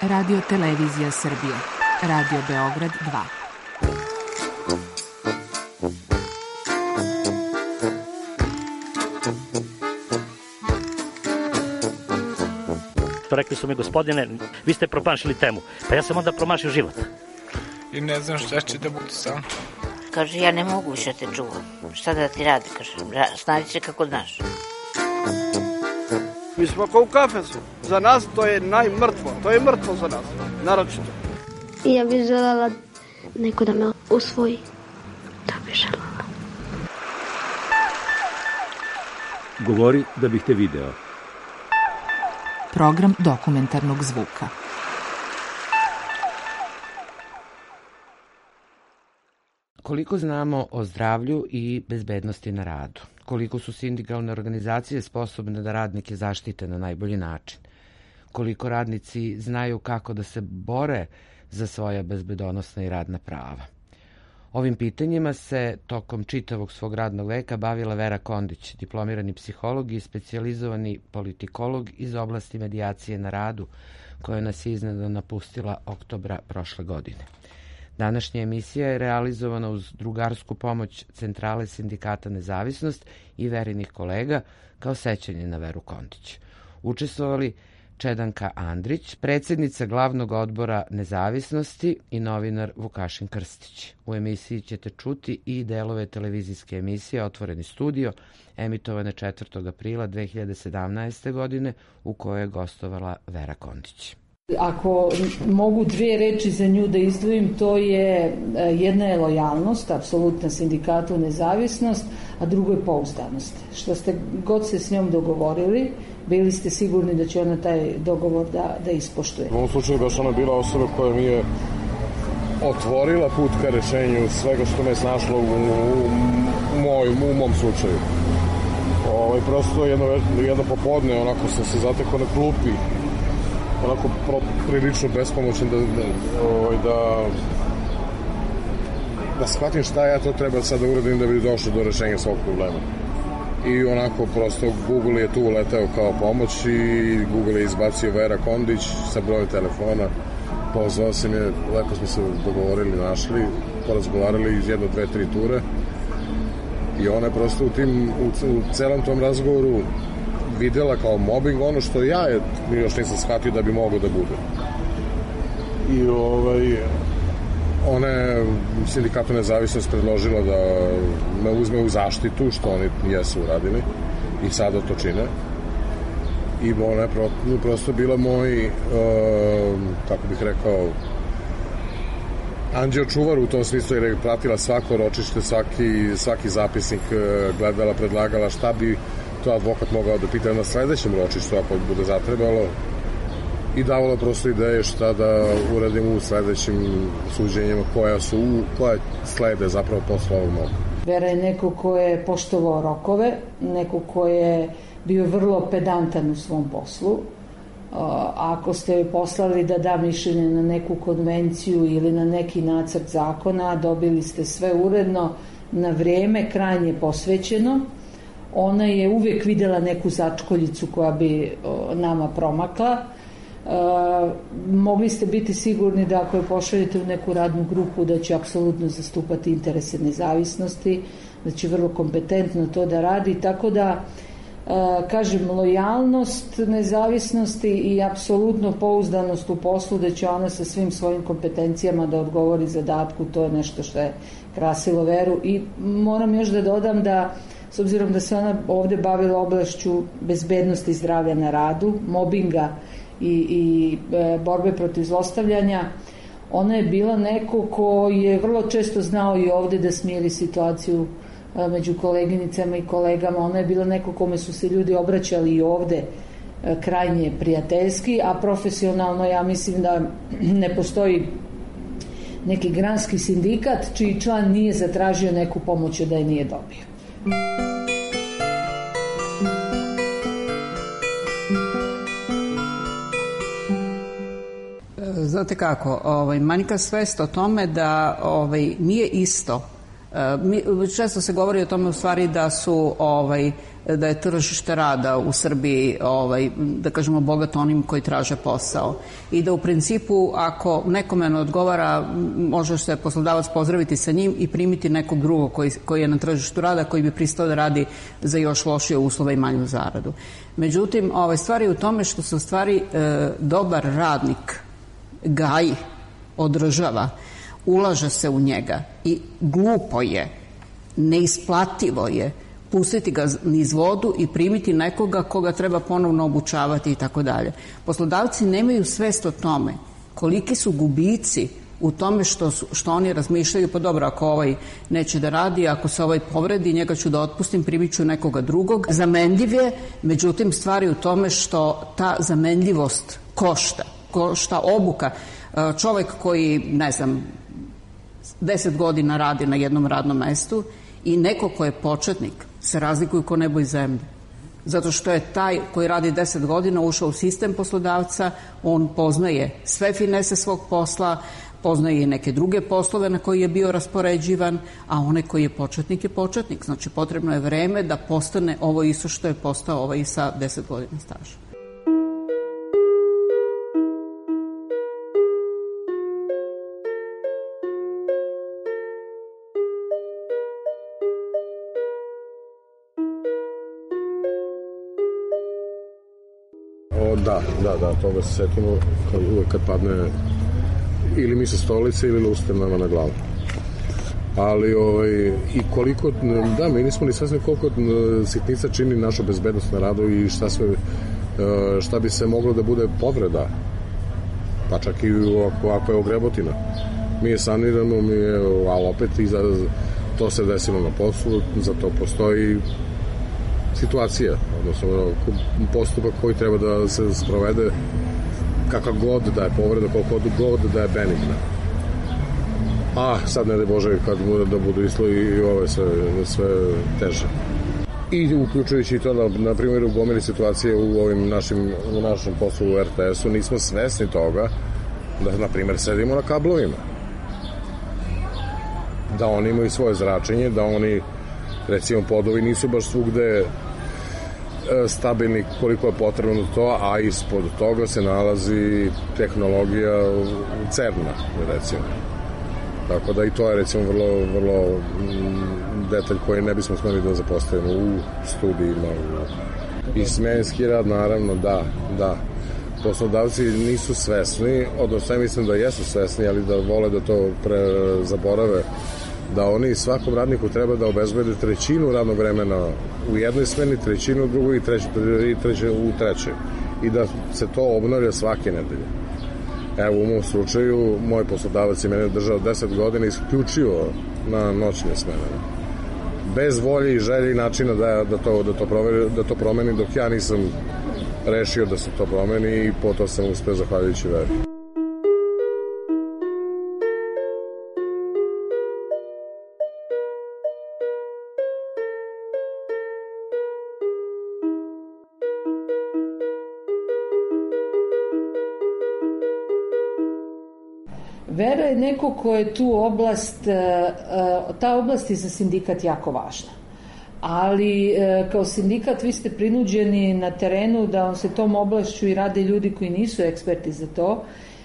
Radio Televizija Srbije, Radio Beograd 2. Rekli su mi, gospodine, vi ste promašili temu. Pa ja sam onda promašio život. I ne znam šta će da bude sam. Kaže, ja ne mogu više te čuvam. Šta da ti radi, kaže, snađi se kako znaš. Mi smo kao u kafesu. Za nas to je najmrtvo. To je mrtvo za nas, naročito. I ja bih želela neko da me usvoji. To bih želela. Govori da bih te video. Program dokumentarnog zvuka. Koliko znamo o zdravlju i bezbednosti na radu? Koliko su sindikalne organizacije sposobne da radnike zaštite na najbolji način? Koliko radnici znaju kako da se bore za svoja bezbedonosna i radna prava? Ovim pitanjima se tokom čitavog svog radnog veka bavila Vera Kondić, diplomirani psiholog i specijalizovani politikolog iz oblasti medijacije na radu, koja nas je iznenada napustila oktobra prošle godine. Današnja emisija je realizovana uz drugarsku pomoć Centrale sindikata Nezavisnost i Verinih kolega kao sećanje na Veru Kondić. Učestvovali Čedanka Andrić, predsjednica glavnog odbora Nezavisnosti i novinar Vukašin Krstić. U emisiji ćete čuti i delove televizijske emisije Otvoreni studio, emitovane 4. aprila 2017. godine, u kojoj je gostovala Vera Kondić. Ako mogu dvije reči za nju da izdvojim, to je jedna je lojalnost, apsolutna sindikatu Nezavisnost, a drugo je pouzdanost. Što ste god se s njom dogovorili, bili ste sigurni da će ona taj dogovor da ispoštuje. U ovom slučaju baš ona bila osoba koja mi je otvorila put ka rešenju svega što me snašlo u mom slučaju. Prosto jedno popodne onako sam se zatekao na klupi, onako prilično bespomoćan da shvatim šta ja to treba sad da uradim da bi došao do rešenja svog problema. I onako prosto Google je tu uletao kao pomoć i Google je izbacio Vera Kondić sa brojem telefona. Pozvao sam je, lepo smo se dogovorili, našli, porazgovarali iz 1, 2, 3 ture i ona je prosto u celom tom razgovoru videla kao mobbing ono što ja još nisam shvatio da bi mogao da bude. I ona je sindikatu Nezavisnost predložila da me uzme u zaštitu, što oni jesu uradili i sada to čine. I ona je prosto bila moj, kako bih rekao, anđeo čuvar u tom smislu, jer je pratila svako ročište, svaki zapisnik, gledala, predlagala šta bi to advokat mogao da pita na sledećem ročištu ako bude zatrebalo i davala prosto ideje šta da uradimo u sledećim suđenjima koja slede zapravo posle ovog moga. Vera je neko ko je poštovao rokove, neko ko je bio vrlo pedantan u svom poslu. Ako ste joj poslali da da mišljenje na neku konvenciju ili na neki nacrt zakona, dobili ste sve uredno, na vrijeme, krajnje posvećeno. Ona je uvijek videla neku začkoljicu koja bi nama promakla. Mogli ste biti sigurni da ako je pošaljete u neku radnu grupu da će apsolutno zastupati interese nezavisnosti, da će vrlo kompetentno to da radi, tako da kažem, lojalnost nezavisnosti i apsolutno pouzdanost u poslu da će ona sa svim svojim kompetencijama da odgovori zadatku, to je nešto što je krasilo Veru. I moram još da dodam da s obzirom da se ona ovde bavila oblašću bezbednosti i zdravlja na radu, mobinga i borbe protiv zlostavljanja, ona je bila neko ko je vrlo često znao i ovde da smiri situaciju među koleginicama i kolegama. Ona je bila neko kome su se ljudi obraćali i ovde krajnje prijateljski, a profesionalno ja mislim da ne postoji neki granski sindikat čiji član nije zatražio neku pomoć da je nije dobio. Znate kako, manjka svest o tome da nije isto Često se govori o tome u stvari da je tržište rada u Srbiji, da kažemo, bogato onim koji traže posao i da u principu ako nekome ne odgovara može se poslodavac pozdraviti sa njim i primiti nekog drugog koji je na tržištu rada, koji bi pristao da radi za još lošije uslove i manju zaradu. Međutim, stvar je u tome što se u stvari dobar radnik gaji, održava, ulaže se u njega i glupo je, neisplativo je pustiti ga niz vodu i primiti nekoga koga treba ponovno obučavati i tako dalje. Poslodavci nemaju svest o tome koliki su gubici u tome što oni razmišljaju, pa dobro, ako ovaj neće da radi, ako se ovaj povredi, njega ću da otpustim, primit ću nekoga drugog. Zamenljiv je, međutim, stvar je u tome što ta zamenljivost košta obuka. Čovek koji, 10 godina radi na jednom radnom mestu i neko ko je početnik se razlikuju ko nebo i zemlje. Zato što je taj koji radi 10 godina ušao u sistem poslodavca, on poznaje sve finese svog posla, poznaje i neke druge poslove na koji je bio raspoređivan, a onaj koji je početnik. Znači, potrebno je vreme da postane ovo isto što je postao ovaj sa 10 godina staža. Da, toga se setimo uvek kad padne ili mi sa stolice ili luster nama na glavu. Ali i koliko, mi nismo ni svesni koliko sitnica čini našu bezbednost na radu i šta bi se moglo da bude povreda, pa čak i ako je ogrebotina. Mi je saniramo, ali opet i to se desilo na poslu, za to postoji situacija, odnosno postupak koji treba da se sprovede, kakav god da je povreda, koliko god da je benigna. Sad ne daj Bože kad da budu islovi i ove sve teže. I uključujući i to na primjer u gomili situacije u našem poslu u RTS-u nismo svesni toga da na primjer sedimo na kablovima, da oni imaju svoje zračenje, da oni recimo podovi nisu baš svugde stabilni koliko je potrebno za to, a ispod toga se nalazi tehnologija CERN-a, recimo. Tako da i to je recimo vrlo detalj koji ne bismo smeli da zapostavimo u studijima. I smenski rad, naravno, da. Poslodavci nisu svesni, odnosno ja mislim da jesu svesni, ali da vole da to zaborave, da oni svakom radniku treba da obezbede trećinu radnog vremena u jednoj smeni, trećinu u drugoj i treću u trećoj. I da se to obnavlja svake nedelje. Evo, u mom slučaju, moj poslodavac je mene držao 10 godina isključivo na noćne smene. Bez volje i želje i načina da to promeni, dok ja nisam rešio da se to promeni i po to sam uspeo zahvaljujući veri. Vera je neko ko je tu oblast, ta oblast je za sindikat jako važna. Ali kao sindikat vi ste prinuđeni na terenu da se tom oblašću i rade ljudi koji nisu eksperti za to,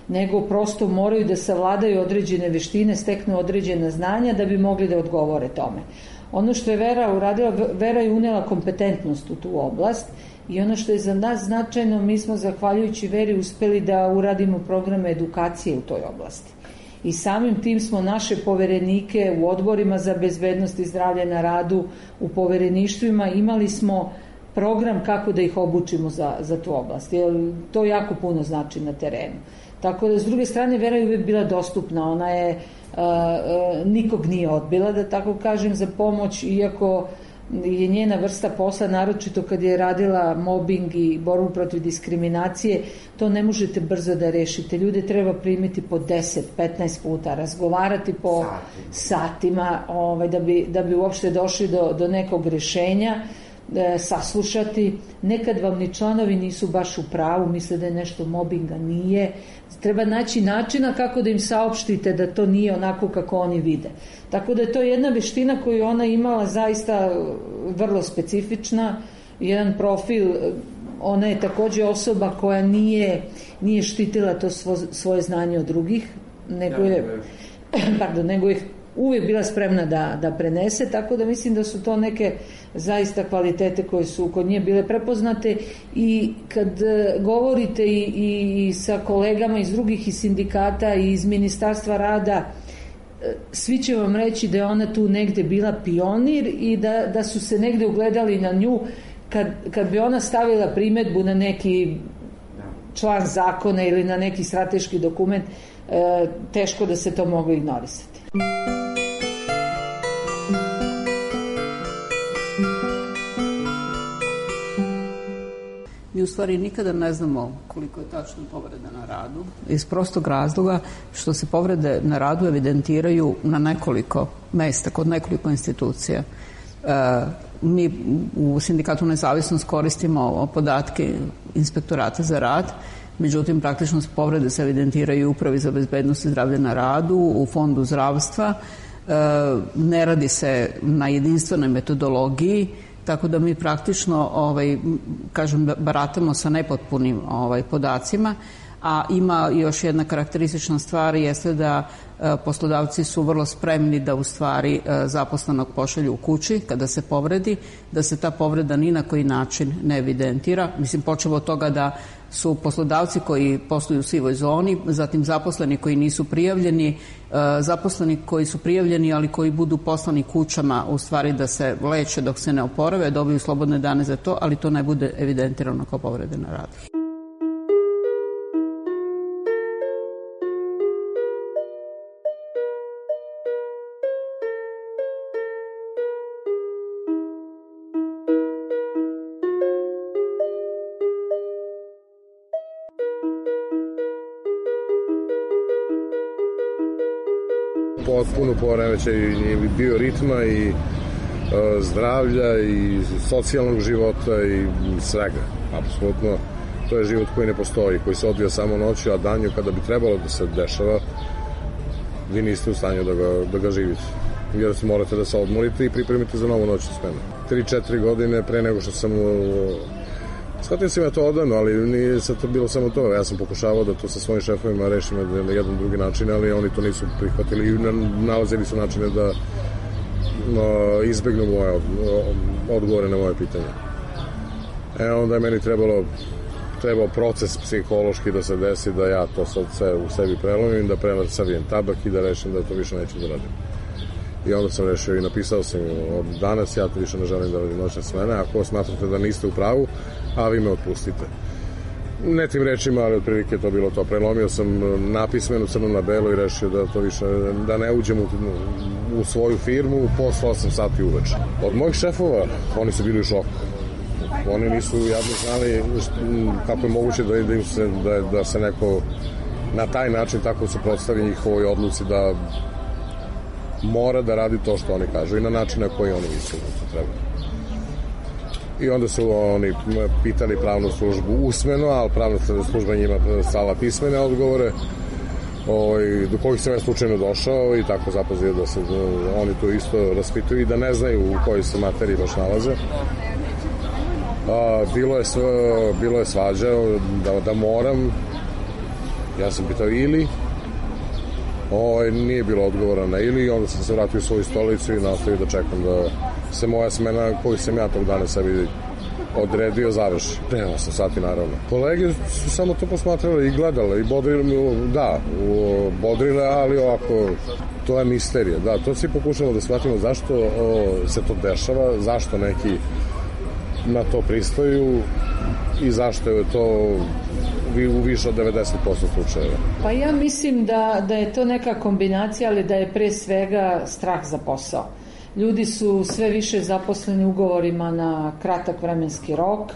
nego prosto moraju da savladaju određene veštine, steknu određena znanja da bi mogli da odgovore tome. Ono što je Vera uradila, Vera je unela kompetentnost u tu oblast i ono što je za nas značajno, mi smo zahvaljujući Veri uspeli da uradimo programe edukacije u toj oblasti. I samim tim smo naše poverenike u odborima za bezbednost i zdravlje na radu, u povereništvima imali smo program kako da ih obučimo za tu oblast. Jer to jako puno znači na terenu. Tako da, s druge strane, Vera je uvek bila dostupna. Ona je nikog nije odbila, da tako kažem, za pomoć, iako je njena vrsta posla, naročito kad je radila mobbing i borbu protiv diskriminacije, to ne možete brzo da rešite. Ljude treba primiti po 10-15 puta, razgovarati po satima da bi uopšte došli do nekog rešenja. saslušati. Nekad vam ni članovi nisu baš u pravu, misle da je nešto mobinga, nije. Treba naći načina kako da im saopštite da to nije onako kako oni vide. Tako da je to jedna veština koju ona imala zaista vrlo specifična, jedan profil. Ona je takođe osoba koja nije štitila to svoje znanje od drugih, nego je uvijek bila spremna da prenese, tako da mislim da su to neke zaista kvalitete koje su kod nje bile prepoznate. I kad govorite i sa kolegama iz drugih iz sindikata i iz Ministarstva rada, svi će vam reći da je ona tu negde bila pionir i da su se negde ugledali na nju. Kad bi ona stavila primedbu na neki član zakona ili na neki strateški dokument, teško da se to moglo ignorisati. Mi u stvari nikada ne znamo koliko je tačno povreda na radu, iz prostog razloga što se povrede na radu evidentiraju na nekoliko mesta, kod nekoliko institucija. Mi u Sindikatu Nezavisnost koristimo podatke Inspektorata za rad, međutim praktično povrede se evidentiraju u Upravi za bezbednost i zdravlje na radu, u Fondu zdravstva, ne radi se na jedinstvenoj metodologiji, tako da mi praktično baratamo sa nepotpunim podacima. A ima još jedna karakteristična stvar, jeste da poslodavci su vrlo spremni da u stvari zaposlenog pošalju u kući kada se povredi, da se ta povreda ni na koji način ne evidentira. Mislim, počevo od toga da su poslodavci koji posluju u sivoj zoni, zatim zaposleni koji nisu prijavljeni, zaposleni koji su prijavljeni ali koji budu poslani kućama u stvari da se leče dok se ne oporave, dobiju slobodne dane za to, ali to ne bude evidentirano kao povrede na radu. Potpuno poremećaj i bioritma i zdravlja i socijalnog života i svega. Apsolutno, to je život koji ne postoji, koji se odvija samo noću, a danju kada bi trebalo da se dešava, vi niste u stanju da ga živite. Jer morate da se odmorite i pripremite za novu noćnu smenu. 3-4 godine pre nego što sam shvatio sam ja to odavno, ali nije sad to bilo samo to. Ja sam pokušavao da to sa svojim šefovima rešim na jedan drugi način, ali oni to nisu prihvatili i nalazili su načine da izbegnu moje odgovore na moje pitanje. Onda je meni trebao proces psihološki da se desi, da ja to sad sve u sebi prelomim, da savijem tabak i da rešim da to više neću da radim. I onda sam rešio i napisao sam od danas, ja to više ne želim da radim noćne smene, ako smatrate da niste u pravu, a vi me otpustite. Ne tim rečima, ali otprilike to bilo to. Prelomio sam napismeno crno na belo i rešio da to više, da ne uđem u svoju firmu posle 8 sati uveče. Od mojih šefova, oni su bili u šoku. Oni nisu javno znali kako je moguće da se neko na taj način tako suprotstavi njihovoj odluci da mora da radi to što oni kažu i na način na koji oni misle da to treba. I onda su oni pitali pravnu službu usmeno, ali pravna služba njima slala pismene odgovore do kojih sam ja slučajno došao i tako zapazio da se oni to isto raspituju i da ne znaju u kojoj se materiji baš nalaze. Bilo je svađa da moram, ja sam pitao ili, nije bilo odgovora na ili, onda sam se vratio u svoju stolicu i nastavio da čekam da se moja smena koju sam ja tog dana sebi odredio završi. Pre 8 sati naravno. Kolege su samo to posmatrali i gledali i bodrile, ali ovako, to je misterija. Da, to svi pokušamo da shvatimo zašto se to dešava, zašto neki na to pristaju i zašto je to u više od 90% slučajeva. Pa ja mislim da je to neka kombinacija, ali da je pre svega strah za posao. Ljudi su sve više zaposleni ugovorima na kratak vremenski rok,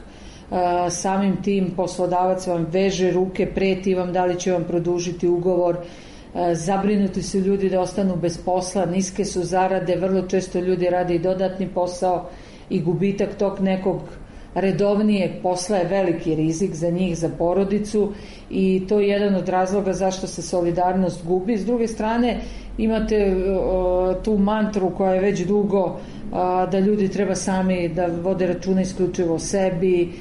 samim tim poslodavac vam veže ruke, preti vam da li će vam produžiti ugovor, zabrinuti su ljudi da ostanu bez posla, niske su zarade, vrlo često ljudi rade i dodatni posao. i gubitak tog nekog redovnijeg posla je veliki rizik za njih, za porodicu, i to je jedan od razloga zašto se solidarnost gubi. S druge strane, imate tu mantru koja je već dugo, da ljudi treba sami da vode računa isključivo o sebi.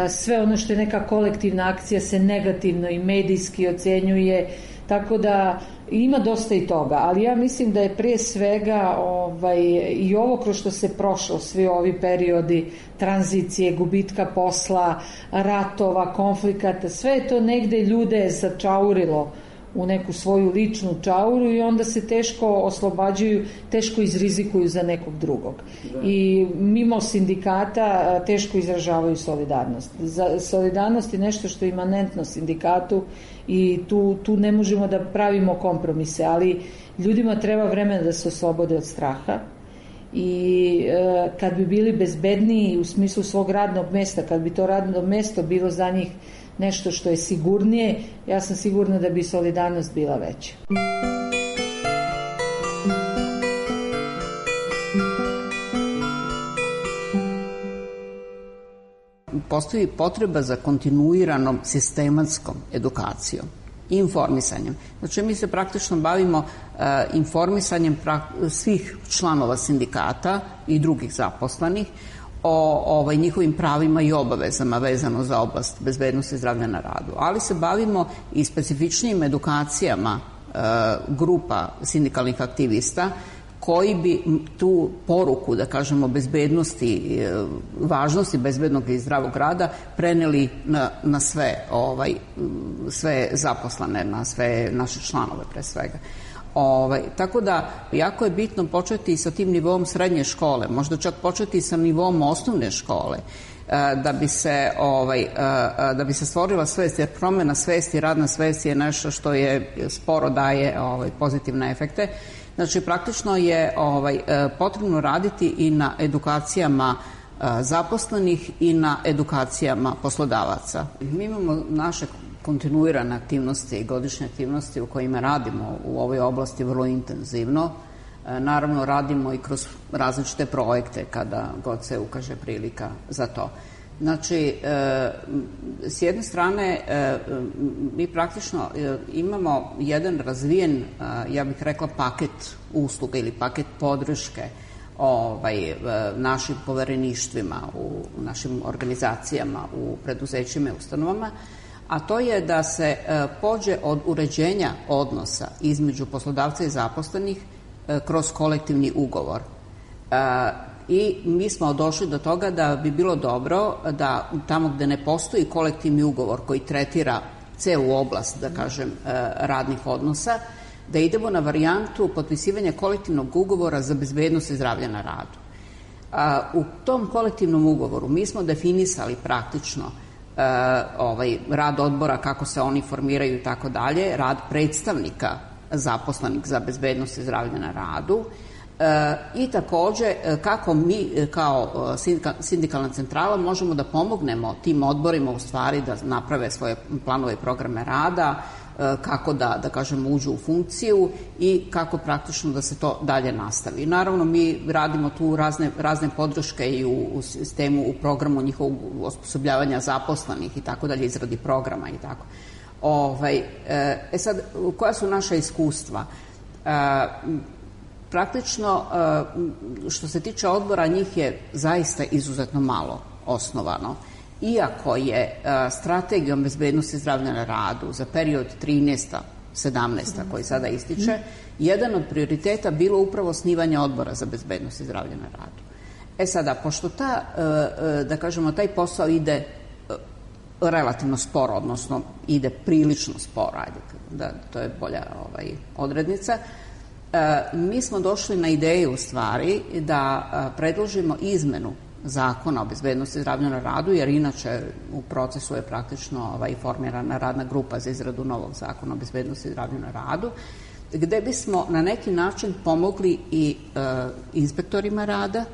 Sve ono što je neka kolektivna akcija se negativno i medijski ocenjuje, tako da ima dosta i toga, ali ja mislim da je prije svega i ovo kroz što se prošlo, svi ovi periodi tranzicije, gubitka posla, ratova, konflikata, sve je to negde ljude začaurilo u neku svoju ličnu čauru i onda se teško oslobađaju, teško izrizikuju za nekog drugog. I mimo sindikata teško izražavaju solidarnost. Solidarnost je nešto što je imanentno sindikatu i tu ne možemo da pravimo kompromise, ali ljudima treba vremena da se oslobode od straha i kad bi bili bezbedniji u smislu svog radnog mesta, kad bi to radno mesto bilo za njih nešto što je sigurnije, ja sam sigurna da bi solidarnost bila veća. Postoji potreba za kontinuiranom sistematskom edukacijom i informisanjem. Znači, mi se praktično bavimo informisanjem svih članova sindikata i drugih zaposlenih o njihovim pravima i obavezama vezano za oblast bezbednosti i zdravlja na radu. Ali se bavimo i specifičnim edukacijama grupa sindikalnih aktivista koji bi tu poruku, da kažemo, bezbednosti, važnosti bezbednog i zdravog rada preneli na sve zaposlene, na sve naše članove pre svega. Tako da jako je bitno početi sa tim nivom srednje škole, možda čak početi sa nivom osnovne škole, da bi se stvorila svest, jer promena svesti, radna svest je nešto što je sporo daje pozitivne efekte. Znači, praktično je potrebno raditi i na edukacijama zaposlenih i na edukacijama poslodavaca. Mi imamo naše kontinuirane aktivnosti i godišnje aktivnosti u kojima radimo u ovoj oblasti vrlo intenzivno. Naravno, radimo i kroz različite projekte kada god se ukaže prilika za to. Znači, s jedne strane, mi praktično imamo jedan razvijen, ja bih rekla, paket usluga ili paket podrške našim povereništvima, u našim organizacijama, u preduzećima i ustanovama, a to je da se pođe od uređenja odnosa između poslodavca i zaposlenih kroz kolektivni ugovor. I mi smo došli do toga da bi bilo dobro da tamo gde ne postoji kolektivni ugovor koji tretira celu oblast, da kažem, radnih odnosa, da idemo na varijantu potpisivanja kolektivnog ugovora za bezbednost i zdravlje na radu. U tom kolektivnom ugovoru mi smo definisali praktično rad odbora, kako se oni formiraju i tako dalje, rad predstavnika zaposlenih za bezbednost i zdravlje na radu, i takođe kako mi kao sindikalna centrala možemo da pomognemo tim odborima u stvari da naprave svoje planove i programe rada, kako da kažemo uđu u funkciju i kako praktično da se to dalje nastavi. Naravno, mi radimo tu razne podrške i u sistemu, u programu njihovog osposobljavanja zaposlenih i tako dalje, izradi programa i tako. Sad, koja su naša iskustva? Praktično, što se tiče odbora, njih je zaista izuzetno malo osnovano. Iako je strategijom bezbednosti i zdravlja na radu za period 13-17 koji sada ističe, jedan od prioriteta bilo upravo osnivanje odbora za bezbednost i zdravlje na radu. Sada, pošto da kažemo, taj posao ide relativno sporo, odnosno ide prilično sporo, to je bolja odrednica, mi smo došli na ideju u stvari da predložimo izmenu zakona o bezbednosti i zdravlju na radu, jer inače u procesu je praktično formirana radna grupa za izradu novog zakona o bezbednosti i zdravlju na radu, gde bismo na neki način pomogli i inspektorima rada,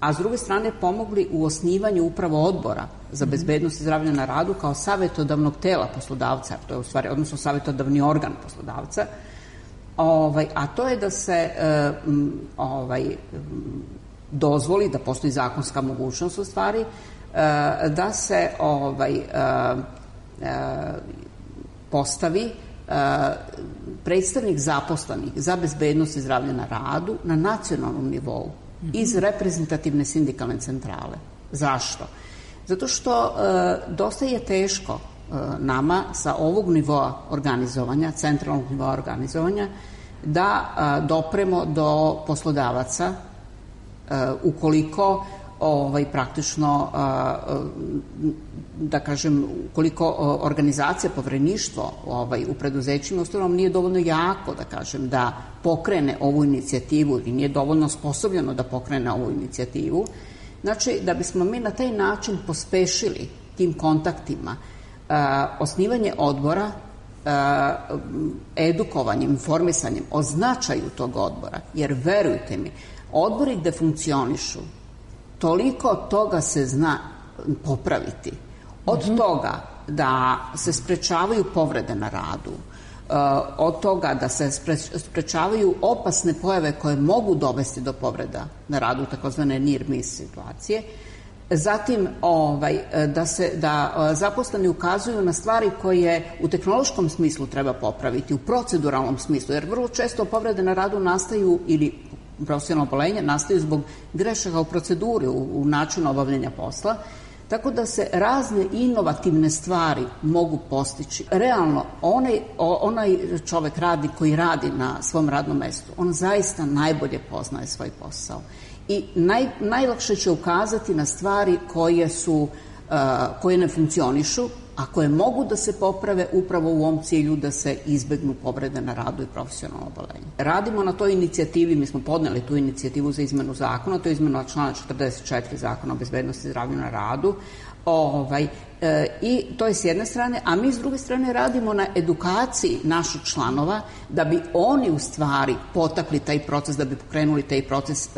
a s druge strane pomogli u osnivanju upravo odbora za bezbednost i zdravlje na radu kao savetodavnog tela poslodavca, to je u stvari, odnosno savetodavni organ poslodavca, a to je da se dozvoli, da postoji zakonska mogućnost u stvari, da se postavi predstavnik zaposlenih za bezbednost i zdravlje na radu na nacionalnom nivou iz reprezentativne sindikalne centrale. Zašto? Zato što dosta je teško nama sa ovog nivoa organizovanja, centralnog nivoa organizovanja, da dopremo do poslodavaca ukoliko praktično, da kažem, ukoliko organizacija, povereništvo u preduzećima ustanovama nije dovoljno jako, da kažem, da pokrene ovu inicijativu i nije dovoljno sposobljeno da pokrene ovu inicijativu. Znači, da bismo mi na taj način pospešili tim kontaktima osnivanje odbora, edukovanjem, informisanjem o značaju tog odbora, jer verujte mi, odbori gde funkcionišu, toliko toga se zna popraviti. Od toga da se sprečavaju povrede na radu, od toga da se sprečavaju opasne pojave koje mogu dovesti do povreda na radu, takozvane near miss situacije. Zatim da zaposleni ukazuju na stvari koje u tehnološkom smislu treba popraviti, u proceduralnom smislu, jer vrlo često povrede na radu nastaju ili profesionalno obolenje nastaju zbog grešaka u proceduri, u načinu obavljanja posla, tako da se razne inovativne stvari mogu postići. Realno, onaj čovek radnik koji radi na svom radnom mestu, on zaista najbolje poznaje svoj posao i najlakše će ukazati na stvari koje ne funkcionišu, a koje mogu da se poprave upravo u ovom cilju da se izbegnu povrede na radu i profesionalno obolenje. Radimo na toj inicijativi, mi smo podneli tu inicijativu za izmenu zakona, to je izmena člana 44 Zakona o bezbednosti i zdravlju na radu, i to je s jedne strane, a mi s druge strane radimo na edukaciji naših članova da bi oni u stvari potakli taj proces, da bi pokrenuli taj proces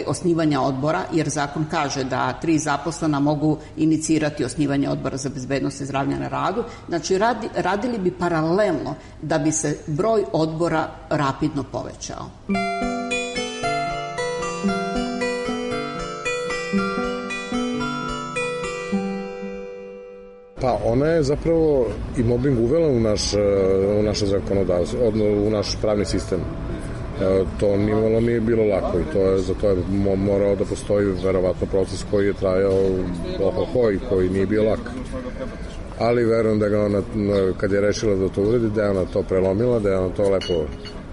osnivanja odbora, jer zakon kaže da 3 zaposlena mogu inicirati osnivanje odbora za bezbednost i zdravlje na radu. Znači, radili bi paralelno da bi se broj odbora rapidno povećao. Pa ona je zapravo i mobbing uvela u naše zakonodavstvo, u naš pravni sistem. To nimalo nije bilo lako i za to je morao da postoji verovatno proces koji je trajao i koji nije bio lak. Ali verujem da ga ona, kad je rešila da to uredi, da je ona to prelomila, da je ona to lepo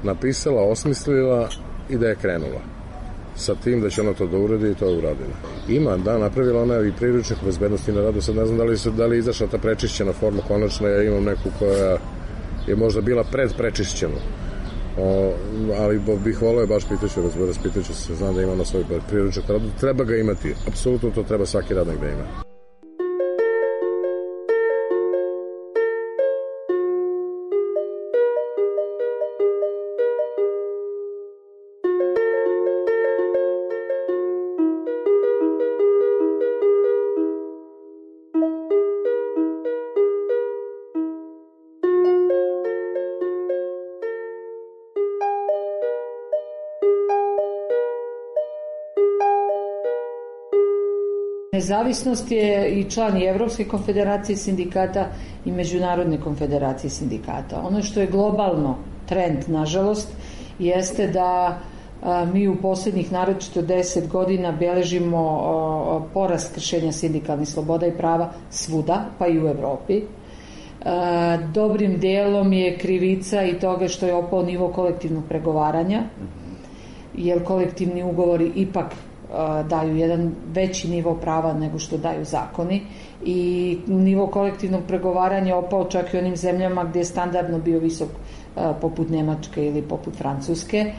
napisala, osmislila i da je krenula sa tim da će ona to da uredi i to je uradila. Napravila ona i priručnik bezbednosti na radu, sad ne znam da li je izašla ta prečišćena forma konačno, ja imam neku koja je možda bila predprečišćena. Ali bih volao je, baš raspitaću se, znam da ima na svoj priručnik na radu, treba ga imati, apsolutno to treba svaki radnik da ima. Nezavisnost je i član i Evropske konfederacije sindikata i Međunarodne konfederacije sindikata. Ono što je globalno trend, nažalost, jeste da mi u posljednjih naročito 10 godina beležimo porast kršenja sindikalnih sloboda i prava svuda, pa i u Evropi. Dobrim delom je krivica i toga što je opao nivo kolektivnog pregovaranja, jer kolektivni ugovori ipak daju jedan veći nivo prava nego što daju zakoni i nivo kolektivnog pregovaranja opao čak i onim zemljama gdje je standardno bio visok, poput Nemačke ili poput Francuske.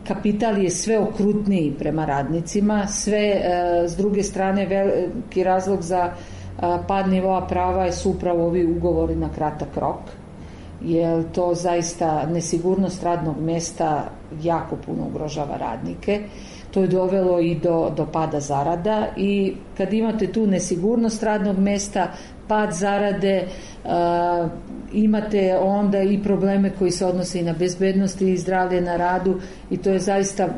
Kapital je sve okrutniji prema radnicima, sve s druge strane veliki razlog za pad nivoa prava su upravo ovi ugovori na kratak rok, jer to zaista nesigurnost radnog mjesta jako puno ugrožava radnike. to je dovelo i do pada zarada i kad imate tu nesigurnost radnog mesta, pad zarade, imate onda i probleme koji se odnose i na bezbednost i zdravlje na radu i to je zaista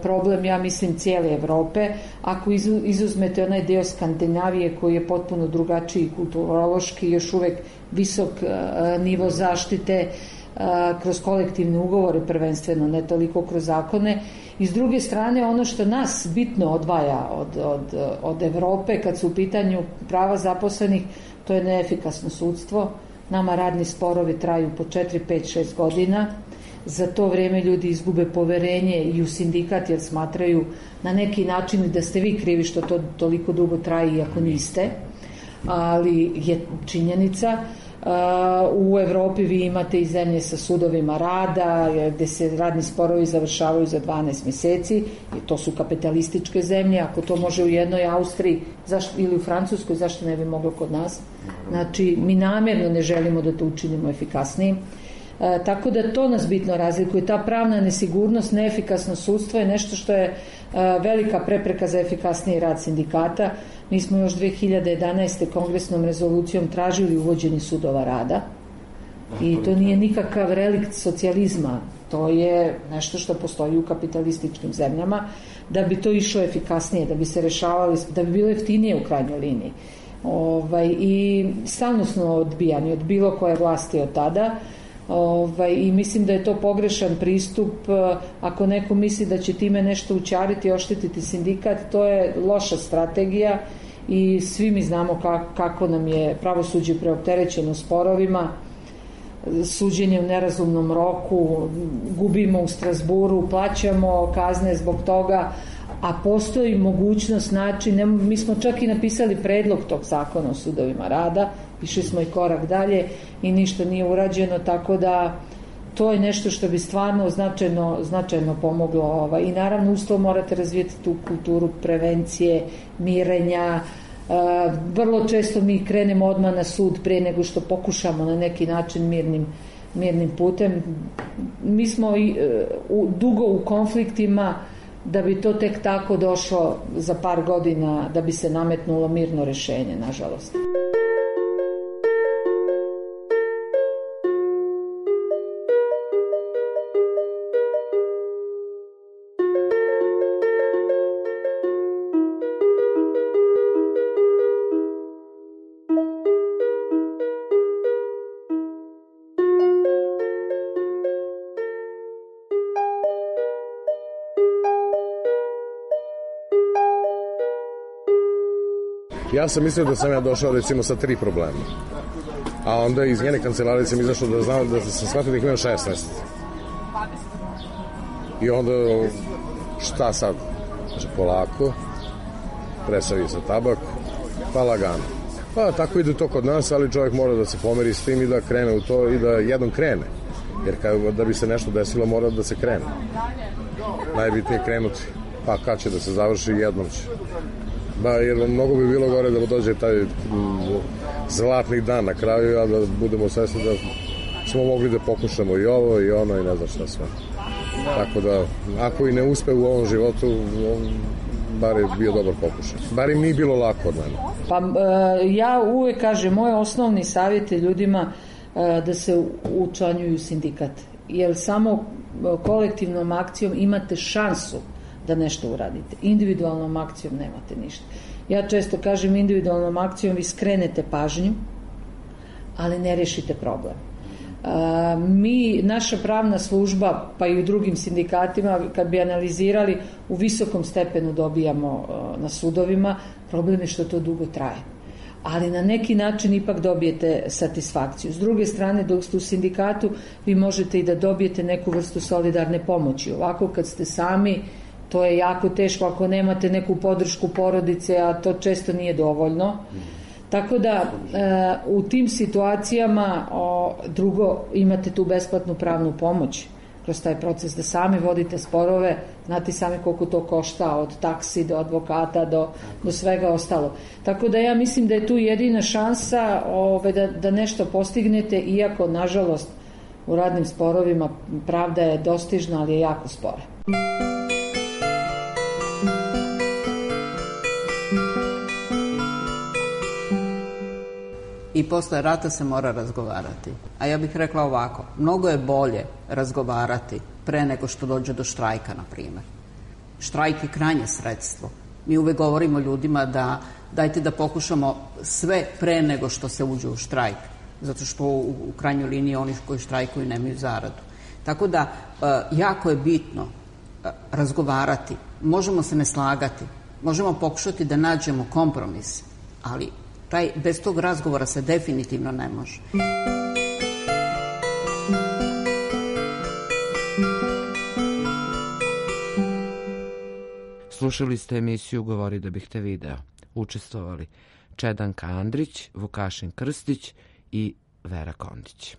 problem, ja mislim, cijele Evrope. Ako izuzmete onaj deo Skandinavije koji je potpuno drugačiji kulturološki, još uvek visok nivo zaštite kroz kolektivne ugovore prvenstveno, ne toliko kroz zakone. I s druge strane, ono što nas bitno odvaja od Evrope kad su u pitanju prava zaposlenih, to je neefikasno sudstvo. Nama radni sporovi traju po 4, 5, 6 godina. Za to vrijeme ljudi izgube poverenje i u sindikat jer smatraju na neki način da ste vi krivi što to toliko dugo traje iako niste. Ali je činjenica. U Evropi vi imate i zemlje sa sudovima rada gde se radni sporovi završavaju za 12 mjeseci i to su kapitalističke zemlje. Ako to može u jednoj Austriji ili u Francuskoj, zašto ne bi moglo kod nas? Znači, mi namjerno ne želimo da to učinimo efikasnijim. Tako da to nas bitno razlikuje. Ta pravna nesigurnost, neefikasno sudstvo je nešto što je velika prepreka za efikasniji rad sindikata. Mi smo još 2011. kongresnom rezolucijom tražili uvođenje sudova rada i to nije nikakav relikt socijalizma, to je nešto što postoji u kapitalističkim zemljama, da bi to išlo efikasnije, da bi se rešavali, da bi bilo jeftinije u krajnjoj liniji. I stalno smo odbijani od bilo koje vlasti od tada. I mislim da je to pogrešan pristup. Ako neko misli da će time nešto učariti i oštetiti sindikat, to je loša strategija i svi mi znamo kako nam je pravosuđe preopterećeno sporovima, suđenje u nerazumnom roku, gubimo u Strasburu, plaćamo kazne zbog toga, a postoji mogućnost, mi smo čak i napisali predlog tog zakona o sudovima rada, išli smo i korak dalje i ništa nije urađeno, tako da to je nešto što bi stvarno značajno pomoglo. I naravno uz to morate razvijeti tu kulturu prevencije, mirenja. Vrlo često mi krenemo odmah na sud prije nego što pokušamo na neki način mirnim putem. Mi smo dugo u konfliktima da bi to tek tako došlo za par godina da bi se nametnulo mirno rešenje, nažalost. Ja sam mislio da sam ja došao recimo sa 3 problema, a onda iz njene kancelarije sam izašao da sam shvatio da ih imam 16. I onda šta sad? Znači polako, presavi se tabak, pa lagano. Pa tako ide to kod nas, ali čovjek mora da se pomeri s tim i da krene u to i da jednom krene. Jer da bi se nešto desilo mora da se krene. Najbitnije je krenuti, pa kad će da se završi, jednom će. Jer mnogo bi bilo gore da dođe taj zlatni dan na kraju, a da budemo svesni da smo mogli da pokušamo i ovo i ono i ne znam šta sve. Tako da, ako i ne uspe u ovom životu, bar je bio dobar pokušaj. Bar im nije bilo lako od mene. Pa ja uvek kažem, moj osnovni savjet je ljudima da se učlanjuju u sindikat. Jer samo kolektivnom akcijom imate šansu da nešto uradite. Individualnom akcijom nemate ništa. Ja često kažem, individualnom akcijom vi skrenete pažnju, ali ne rešite problem. Naša pravna služba, pa i u drugim sindikatima, kad bi analizirali, u visokom stepenu dobijamo na sudovima, problem je što to dugo traje. Ali na neki način ipak dobijete satisfakciju. S druge strane, dok ste u sindikatu, vi možete i da dobijete neku vrstu solidarne pomoći. Ovako kad ste sami, to je jako teško ako nemate neku podršku porodice, a to često nije dovoljno. Tako da u tim situacijama drugo, imate tu besplatnu pravnu pomoć kroz taj proces da sami vodite sporove, znate sami koliko to košta, od taksi do advokata do svega ostalo. Tako da ja mislim da je tu jedina šansa da nešto postignete, iako nažalost u radnim sporovima pravda je dostižna, ali je jako spora. i posle rata se mora razgovarati. A ja bih rekla ovako, mnogo je bolje razgovarati pre nego što dođe do štrajka, na primjer. Štrajk je krajnje sredstvo. Mi uvek govorimo ljudima da dajte da pokušamo sve pre nego što se uđe u štrajk, zato što u krajnjoj liniji oni koji štrajkuju nemaju zaradu. Tako da jako je bitno razgovarati. Možemo se ne slagati, možemo pokušati da nađemo kompromis, ali bez tog razgovora se definitivno ne može. Slušali ste emisiju Govori da bih te video. Učestvovali Čedanka Andrić, Vukašin Krstić i Vera Kondić.